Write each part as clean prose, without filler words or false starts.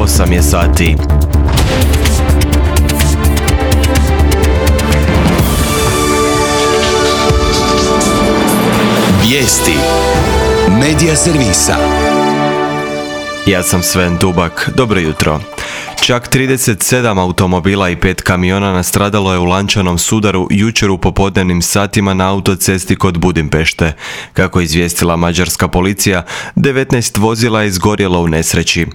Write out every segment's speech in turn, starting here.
8 je sati. Vijesti Medija servisa. Ja sam Sven Dubak, dobro jutro. Čak 37 automobila i 5 kamiona nastradalo je u lančanom sudaru jučer u popodnevnim satima na autocesti kod Budimpešte. Kako je izvijestila mađarska policija, 19 vozila je izgorjelo u nesreći.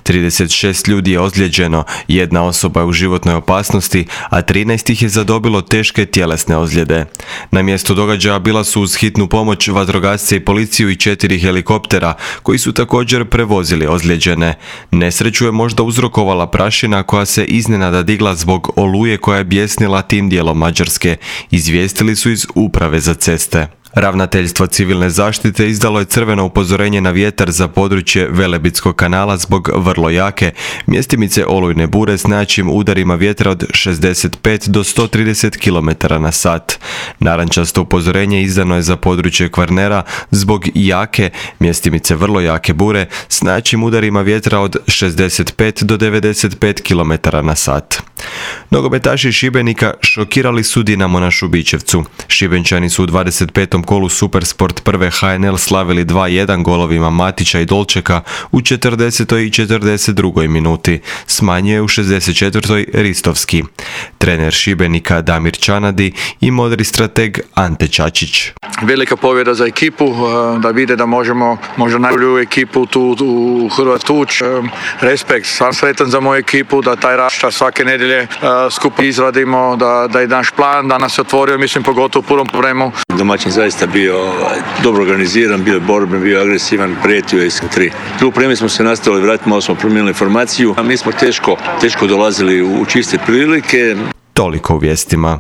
36 ljudi je ozlijeđeno, jedna osoba je u životnoj opasnosti, a 13 ih je zadobilo teške tjelesne ozljede. Na mjestu događaja bila su uz hitnu pomoć vatrogasce i policiju i 4 helikoptera, koji su također prevozili ozlijeđene. Nesreću je možda uzrokovala prašina koja se iznenada digla zbog oluje koja je bjesnila tim dijelom Mađarske, izvijestili su iz Uprave za ceste. Ravnateljstvo civilne zaštite izdalo je crveno upozorenje na vjetar za područje Velebitskog kanala zbog vrlo jake mjestimice olujne bure s najjačim udarima vjetra od 65 do 130 km na sat. Narančasto upozorenje izdano je za područje Kvarnera zbog jake mjestimice vrlo jake bure s najjačim udarima vjetra od 65 do 95 km na sat. Nogometaši Šibenika šokirali su Dinamo na Šubićevcu. Šibenčani su u 25. kolu Supersport prve HNL slavili 2-1 golovima Matića i Dolčeka u 40. i 42. minuti. Smanjio je u 64. Ristovski. Trener Šibenika Damir Čanadi i modri strateg Ante Čačić. Velika pobjeda za ekipu, da vide da možemo možda najbolju ekipu tu u Hrvatskoj tući. Respekt, sam sretan za moju ekipu, da taj rašta svake nedjelje skupa izradimo, da je naš plan, da nas je otvorio, mislim pogotovo u prvom vremenu. Domaćin zaista bio dobro organiziran, bio borben, bio agresivan, prijetio je iz 3. Drugo vreme smo se nastavili vratiti, malo smo promijenili formaciju, a mi smo teško dolazili u čiste prilike. Toliko u vijestima.